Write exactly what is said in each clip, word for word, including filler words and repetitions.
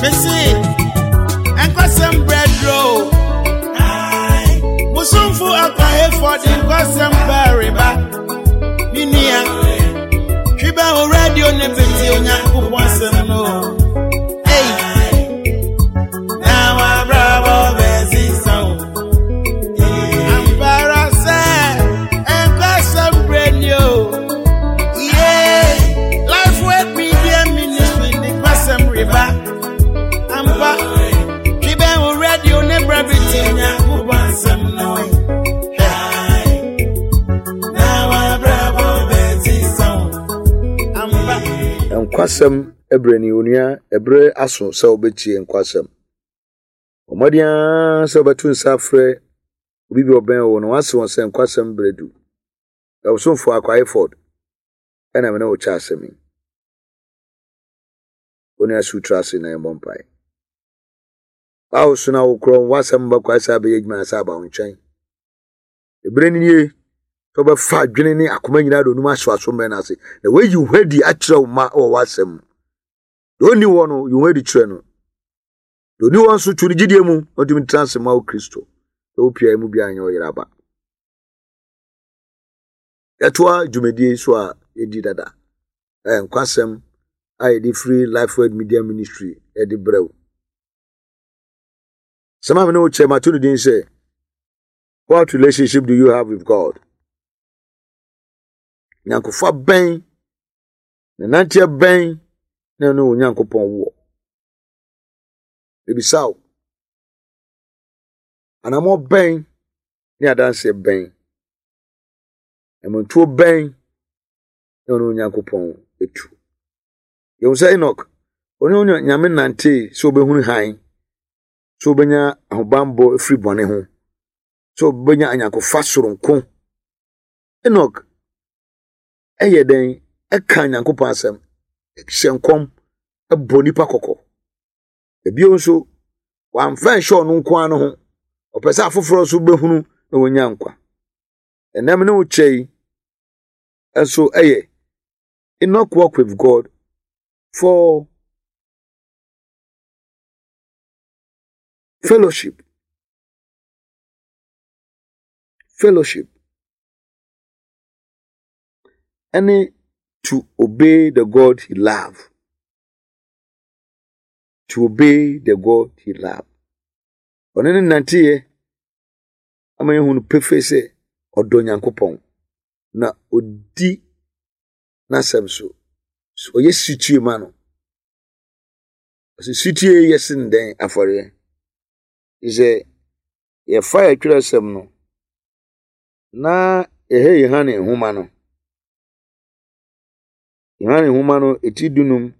Mese, nkwasɛm brɛduro. Musumfo akwahefo de nkwasɛm bɛreba. Me nua, twi bɛ wo radio ne bɛti Onyankopɔn asɛm no. Ei, na wabrabɔ bɛsesa wo. Ampara sɛ nkwasɛm brɛ ni o. Yeah, Life Word Media Ministry de nkwasɛm reba. Ampa, twi bɛ wo radio ne brɛ bɛti Onyankopɔn asɛm no. Hwɛ, na wabrabɔ bɛsesa wo. Ampa. Nkwasɛm ɛberɛ ni, onua. Ɛberɛ aso sɛ wobɛtie nkwasɛm. Ɔmmɔden ara sɛ wobɛto nsa afrɛ obi bi ɔbɛn wo na wase wɔn sɛ nkwasɛm berɛ du. Ɛwosomfo Akwae Ford ɛna me ne wo kyɛ asɛm yi. Onua, sutra ase na yɛmmɔ mpae. Awo so na wokorɔ w'asɛm bɛkɔ sɛ abɛyɛ adwuma sɛ aba wo nkyɛn. Ɛberɛ ni nie sɛ wobɛfa adwene ne akoma nyinaa de onum ahyɛ w'aso mmerɛ no ase na woayi wo ho adi akyerɛ wo ma wɔ w'asɛm mu. Deɛ ɔnni hɔ no, yi wo ho adi kyerɛ no. Deɛ ɔni hɔ nso, twe ne gyidie mu na ɔntumi ntena ase ma wo Kristo na wopia mu biara nyɛ ɔyere aba. Yɛtoa dwumadie so a yɛdi dada, ɛyɛ nkwasɛm a yɛde firi Life Word Media Ministry yɛde brɛ wo. Sɛm a me ne wo kyɛ, mato no din sɛ "What relationship do you have with God?" Nyankofa bɛn na nanteɛ bɛn na ɛne Onyankopɔn wɔ? Ebisa wo, anammɔ bɛn ne adanseɛ bɛn, amantuo bɛn na ɔne Onyankopɔn etu? Yɛhu sɛ Enoch ɔne Onyame nantee sɛ ɔbɛhunu hann, sɛ ɔbɛnya ahobanbɔ afiri bɔne ho, sɛ ɔbɛnya anyankofa soronko. Enoch ɛyɛ dɛn? Ɛka Nyankopɔn asɛm, hyɛ nkɔm, ɛbɔ nipa kɔkɔ. Ebio nso, wamfa nhyɛ ɔno nko ara no ho, ɔpɛ sɛ afoforɔ nso bɛhunu na wɔnya nkwa. Ɛnam ne wo kyɛ yi nso ɛyɛ Enoch walk with God for fellowship fellowship ɛne to obey the God he loved, to obey the God he loved. Ɔne ne nanteɛ ama yɛhu no pefee sɛ ɔdɔ Nyankopɔn na ɔdi n'asɛm so. So ɔyɛ sitie ma no. Ɔsɛ sitie yɛ sen dɛn afɔreɛ. Sɛ yɛfa yɛtwerɛsɛm no na yɛhɛ Yohane nhoma no, Yohane nhoma no eti dunum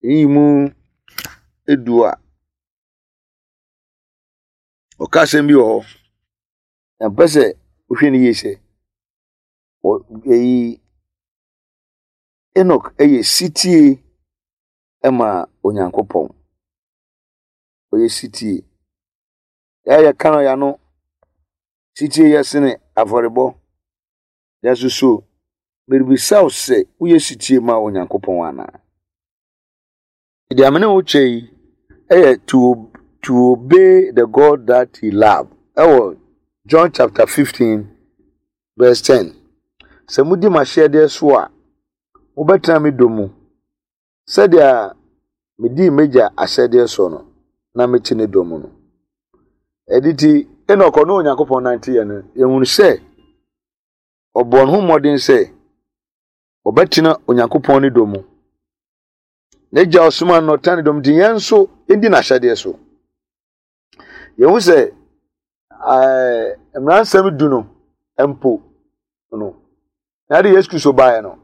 eyi mu edu a, ɔka asɛm bi wɔ hɔ na mpɛ sɛ wohwɛ no yie sɛ eyi Enoch yɛ sitie ma Onyankopɔn. Ɔyɛ sitie. Yɛayɛ ka no yɛano, sitie yɛ sene afɔrebɔ. Nanso so merebisa wo sɛ woyɛ sitie ma Onyankopɔn anaa? Deɛ amene wo kyɛ yi ɛyɛ to, to obey the God that he loved. Ɛwɔ John chapter fifteen verse ten. Sɛ modi m'ahyɛdeɛ so a, mobɛtena me dɔ mu sɛdeɛ medii m'agya ahyɛdeɛ so no na mete ne dɔ mu no. Ɛde ti Enoch ɔne Onyankopɔn nanteɛ no, yɛhunu sɛ ɔbɔ ne ho mmɔden sɛ ɔbɛtena Onyankopɔn ne dɔ mu. N'agya ɔsoma no, ɔtena ne dɔ mu, nti yɛn nso yɛndi n'ahyɛdeɛ so. Yɛhu sɛ ɛɛ mmaransɛm du no mpo no, na ade Yesu Kristo baeɛ no,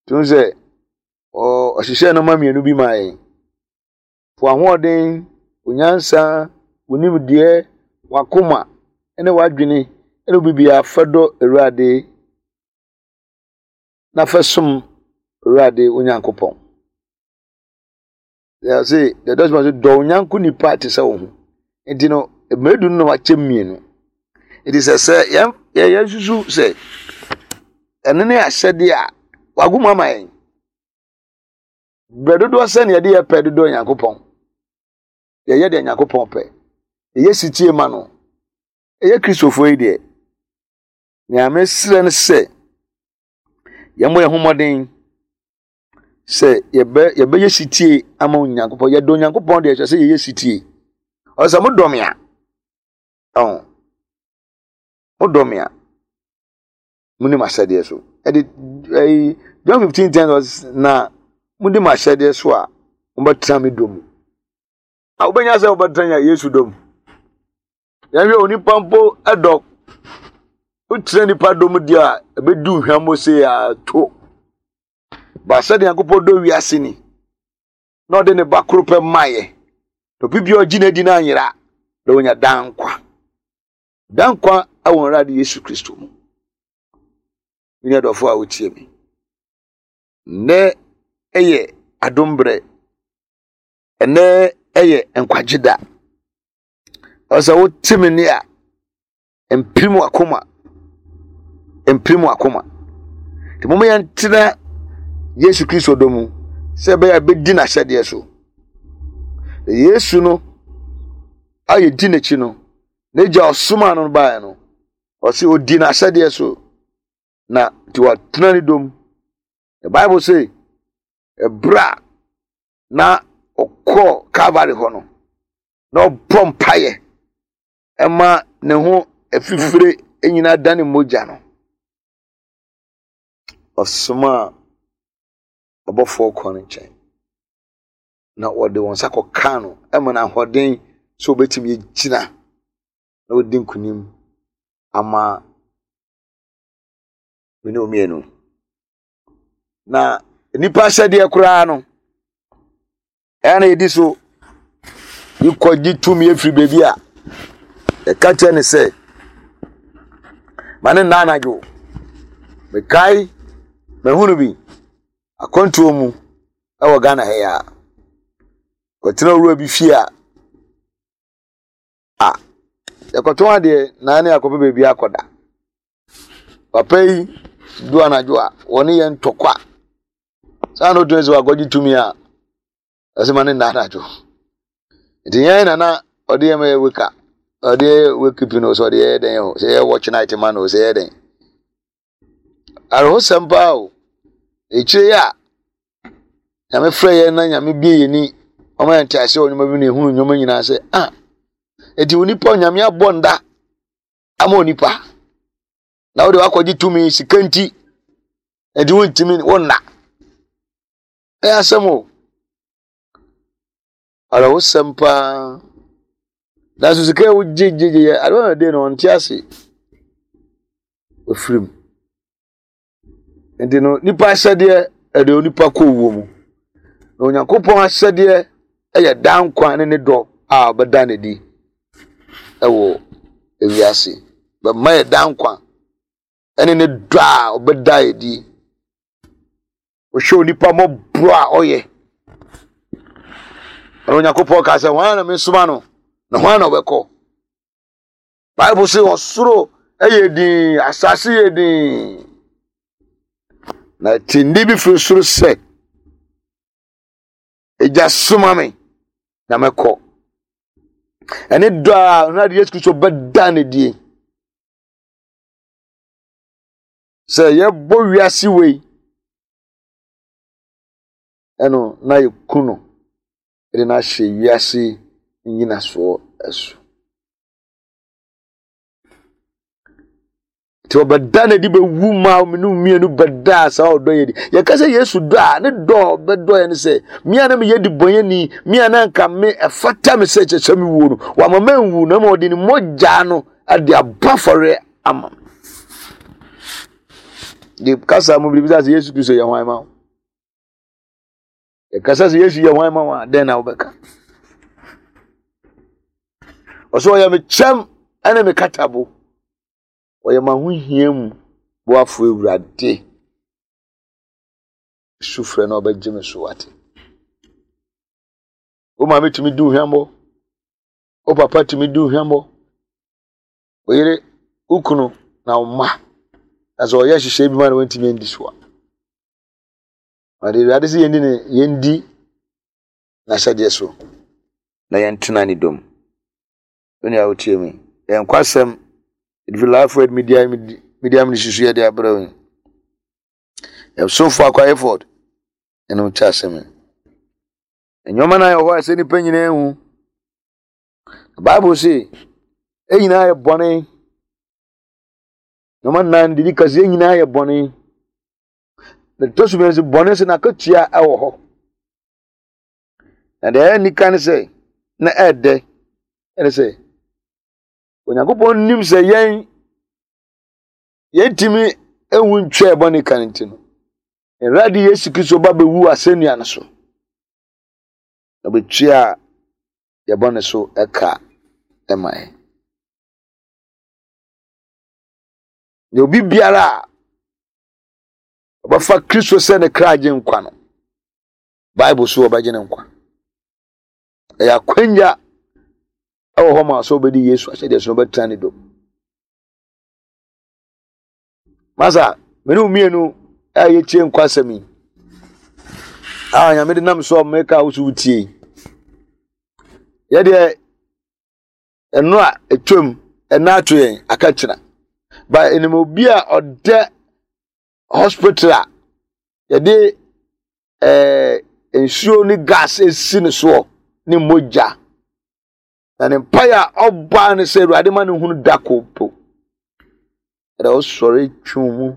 tumi sɛ ɔhyehyɛ nneɛma mmienu bi maa yɛn. Fo ahoɔden, onyansa, onimdeɛ, wakoma ne wadwene ne obibiara fa dɔ Awurade na fa som Awurade Onyankopɔn. Yɛse deɛ dɔsoma so, dɔ onyanko nipa te sɛ wo ho. Nti no mmerɛ du no na wakyɛ mmienu. Nti sɛ sɛ yɛn yɛn susu sɛ ɛno ne ahyɛdeɛ a wagu mu ama yɛn. Berɛ dodoɔ sɛ ne yɛde yɛ pɛ dodoɔ Nyankopɔn. Yɛyɛ deɛ Nyankopɔn pɛ. Yɛyɛ sitie ma no. Ɛyɛ Kristofoɔ yi deɛ, nea mesrɛ no sɛ yɛmmɔ yɛn ho mmɔden sɛ yɛbɛ yɛbɛyɛ sitie ama Onyankopɔn. Yɛdɔ Onyankopɔn deɛ, ɛsɛ sɛ yɛyɛ sitie. Ɔsɛ sɛ modɔ me a, ɔn modɔ me a, muni m'ahyɛdeɛ so. Ɛde ɛyi John fifteen ten ɔs na mudi m'ahyɛdeɛ so a, mobɛtena me dɔ mu. A wobɛnya sɛ wobɛtena Yesu dɔ mu. Yɛhwɛ onipa mpo dɔ, wotena nipa dɔ mu deɛ a, ɛbɛdu hwammɔ sei a to. Ba sɛdeɛ Nyankopɔn dɔ wiase ni, na ɔde ne ba koro pɛ maayɛ, na obi biara ɔgye n'adi no anyera, na onya daa nkwa. Daa nkwa wɔ Awurade Yesu Kristo mu. Me nua dɔfo a wotie me, nnɛ yɛ adom berɛ, ɛnnɛ yɛ nkwagye da. Ɔsɛ wote me nne a, mpirim wakoma, mpirim wakoma. Nti momma yɛntena Yesu Kristo dɔ mu sɛ ɛbɛyɛ a bɛdi n'ahyɛdeɛ so. Yesu no a yɛdi n'akyi no, n'agya ɔsomaa no baeɛ no, ɔse ɔdi n'ahyɛdeɛ so na nti watena ne dɔ mu. The Bible say, ɛberɛ a na ɔkɔɔ Calvary hɔ no, na ɔbɔ mpaeɛ ɛma ne ho afifire nyinaa da ne mogya no, ɔsomaa ɔbɔfoɔ kɔɔ ne nkyɛn na wɔde wɔn nsa kɔkaa no ɛma no ahoɔden sɛ ɔbɛtumi agyina na ɔdi nkonim ama me ne mmienu. Na nnipa ahyɛdeɛ koraa no, ɛna yɛdi so yɛkɔgye tumi afiri baabi a yɛka kyerɛ ne sɛ ma ne nna anadwo. Mekae mahunu bi akwantuo mu ɛwɔ Ghana ha yi a, kɔtena owura bi fie a a yɛkɔtɔn adeɛ na ne akɔpɛ baabi akɔda. Papa yi du anadwo a, wɔne yɛn ntɔkwa. Saa na otumi sɛ wakɔgye tumi a, ɛsɛ ma ne nna anadwo. Nti yɛn na na ɔde yɛn yɛ wake, ɔde yɛ wake keeping o, sɛ ɔde yɛ dɛn o, sɛ yɛ watch night ma no o, sɛ yɛ dɛn. Awerɛhosɛm paa o. Ekyire yi a Nyame frɛ yɛn na Nyame bie yɛn ni, ɔma yɛn te ase wɔ nneɛma bi na ehunu nneɛma nyinaa sɛ ah, eti onipa Nyame abɔ nda ama onipa na wode wakɔgye tumi sika nti, eti wontumi wonna. Ɛyɛ asɛm o. Awerɛhosɛm paa. Nanso sika a wogye gye gye yɛ adeɛ na de no ɔnte ase. Ofirim. Nti no nipa ahyɛdeɛ ɛde onipa kɔ owuo mu. Na Onyankopɔn ahyɛdeɛ ɛyɛ daa nkwa ne ne dɔ a ɔbɛda n'adi ɛwɔ ewiase. Bɛma yɛ daa nkwa ɛne ne dɔ a ɔbɛda adi. Wohwɛ onipa mmɔborɔ a ɔyɛ. Na Onyankopɔn kaa sɛ, hwan na mensoma no? Na hwan na ɔbɛkɔ? Bible sɛ ɔsoro yɛ din, asase yɛ din. Na ɛte nne bi firi soro sɛ, Agya soma me na mɛkɔ. Ɛne dɔ a Awurade Yesu Kristo bɛda no adie. Sɛ yɛbɔ wiase wei ɛno na yɛku no de no ahyɛ wiase nnyinasoɔ so. Nti ɔbɛda no adi bɛwu ma mene mmienu bɛdaa saa ɔdɔ yɛ di. Yɛka sɛ Yesu dɔ a, ne dɔ a ɔbɛdɔ yɛ ne sɛ me a na meyɛ debɔnyɛni, me a na anka me ɛfata me sɛ kyɛ sɛ mewuo no, wama manwu na ma ɔde ne mogya no de abɔ afɔreɛ ama me. De kasa mu biribi sɛ Yesu Kristo yɛ hwan ma wo? Yɛkasa sɛ Yesu yɛ hwan ma wo a, dɛn na wobɛka? Ɔsɛ ɔyɛ me kyɛm ɛne me katabo. Ɔyɛ m'ahohia mu boafo Awurade. Su frɛ na ɔbɛgye me so wate. Wo maame tumi di hwammɔ. Wo papa tumi di hwammɔ. Wo yere, wo kunu na wo mma. Na sɛ ɔyɛ nhyehyɛe bi ma na wantumi andi so a. Ɔde Awurade sɛ yɛndi ne yɛndi n'ahyɛdeɛ so na yɛntena ne dɔm. Wo nua wotie me. Yɛn nkwasɛm ɛde Life Word Media Media Ministry so yɛde abrɛ wo. Yɛsomfo Akwa Hayford ɛne wo kyɛ asɛm yi. Nneɛma no ayɛ hɔ a ɛsɛ nnipa nyinaa hu. Bible se yɛn nyinaa yɛ bɔne. Nneɛma nnan de di ka sɛ yɛn nyinaa yɛ bɔne. Na ɛtɔ so mmiɛnsa bɔne sɛ n'akatua ɛwɔ hɔ. Na deɛ ɛyɛ nika ne sɛ na ɛɛdɛ ɛne sɛ Onyankopɔn nim sɛ yɛn yɛntumi ehu ntwa bɔne ka ne nti no Awurade Yesu Kristo ba bɛwu asɛnnua no so na bɛtua yɛ bɔne so ɛka ɛma yɛn. Na obi biara a ɔbɛfa Kristo sɛ ne kra gye nkwa no, Bible so ɔbɛgye ne nkwa. Ɛyɛ akwanya ɛwɔ hɔ ma sɛ ɔbɛdi Yesu ahyɛdeɛ so na ɔbɛtena ne dɔ. Masa, mene wo mmienu a yɛtie nkwa asɛm yi a Nyame de nam so a meka wo so wotie yi. Yɛdeɛ ɛno a ɛtwam ɛna ato yɛn aka kyena. Ba ɛnim obi a ɔdɛ hospital a yɛde ɛɛ nsuo ne gas esi ne soɔ ne mogya. Na ne mpaeɛ a ɔbaa ne sɛ Awurade ma ne hunu da ko po. Ɛdɛ ɔsɔre twe mu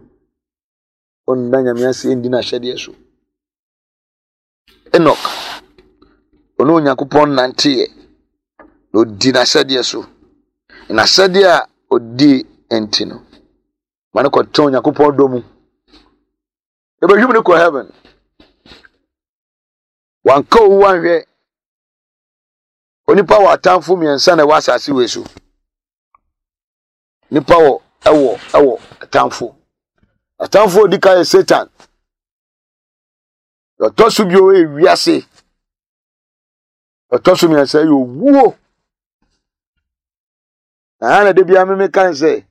ɔnda Nyame ase ndi n'ahyɛdeɛ so. Enoch, ɔne Onyankopɔn nanteeɛ na ɔdi n'ahyɛdeɛ so. N'ahyɛdeɛ a ɔdi nti no, ma no kɔtena Onyankopɔn dɔ mu. Ebɛhwim no kɔ heaven. Wanka owu anhwɛ. Onipa wɔ atamfo mmiɛnsa na ɛwɔ asase wei so. Nipa wɔ ɛwɔ ɛwɔ atamfo. Atamfo a odi kan yɛ Satan. Ɔtɔ so bio yɛ wiase. Ɔtɔ so mmiɛnsa yɛ owuo. Na ha na de bia meme kan sɛ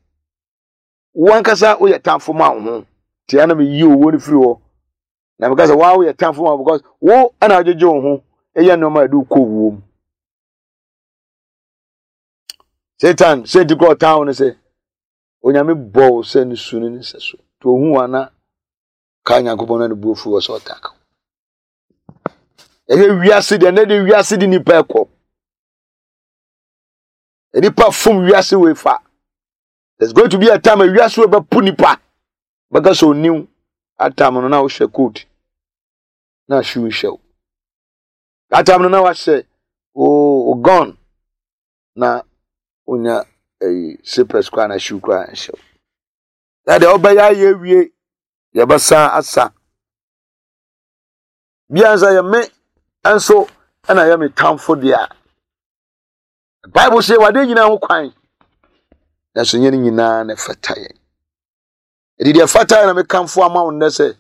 wo ankasa woyɛ tamfo ma wo ho. Tia na meyi owuo no firi hɔ. Na meka sɛ waa woyɛ tamfo ma wo because wo ɛna agyegye wo ho ɛyɛ nneɛma a ɛde wo kɔ owuo mu. Satan sɛ nti kora ɔtan wo no sɛ Onyame bɔ wo sɛ ne su ne ne sɛ so. Nti ohu wa na ka Nyankopɔn na ne bu afu wɔ sɛ ɔtak. Ɛyɛ wiase deɛ na de wiase de nipa ɛkɔ. Nipa fom wiase wei fa. There's going to be a time a wiase wei bɛpo nipa. Bɛka sɛ oniw atam no na wohyɛ coat na shoe nhyɛ wo. Atam no na wahyɛ wo gun na wonya ɛyi slippers koraa na shoe koraa nhyɛ wo. Na deɛ wobɛyɛ ayɛ awie yɛbɛsan asa. Bia nsa yɛ me nso ɛna yɛ me tamfo deɛ a. Bible sɛ wade nyinaa ho kwan. Nanso nyɛ ne nyinaa na ɛfata yɛn. Ɛde deɛ ɛfata yɛn na mekamfo ama wo nnɛ sɛ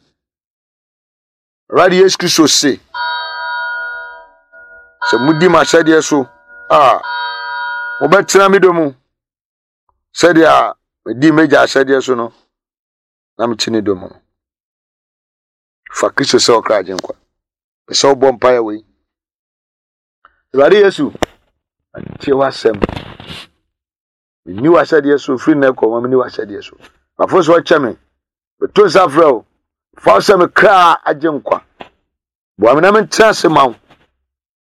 Awurade Yesu Kristo se sɛ modi m'ahyɛdeɛ so a mobɛtena me dɔ mu sɛdeɛ medi m'agya ahyɛdeɛ so no na mete ne dɔ mu no. Fa Kristo sɛ ɔkra agyenkwa. Pɛ sɛ wobɔ mpaeɛ wei. Awurade Yesu, tie w'asɛm. Menni w'ahyɛdeɛ so firi nnɛ kɔ ma menni w'ahyɛdeɛ so. Mafo so ɔkyɛ me. Meto nsa frɛ wo. Fa wo sɛ me kra agye nkwa. Boa me na mentena ase ma wo.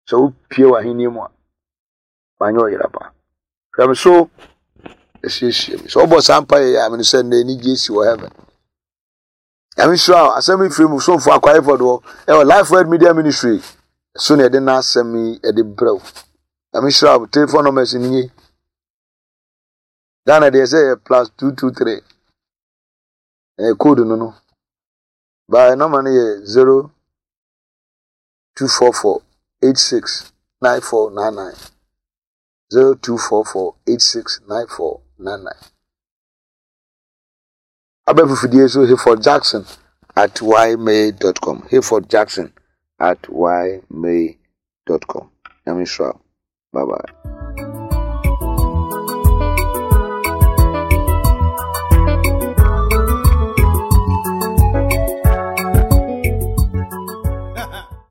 Sɛ wopie w'ahenni mu a, manyɛ ɔyera pa. Hwɛ me so asiesie me. Sɛ wobɔ saa mpaeɛ yi a, mene sɛ nnɛ anigye si wɔ heaven. Nyame nhyira wo. Asɛm yi firi mu somfo Akwa Hayford hɔ ɛwɔ Life Word Media Ministry. So na yɛde n'asɛm yi ɛde brɛ wo. Nyame nhyira wo. Telephone numbers ni nie. Ghana deɛ sɛ yɛ plus two two three. Ɛyɛ code no no. Baa number no yɛ zero two four four eight six nine four nine nine zero two four four eight six nine four nine nine. Abɛfufudie so Hayford Jackson at ymail dot com. Hayford Jackson at ymail dot com. Nyame nhyira wo. Bye bye.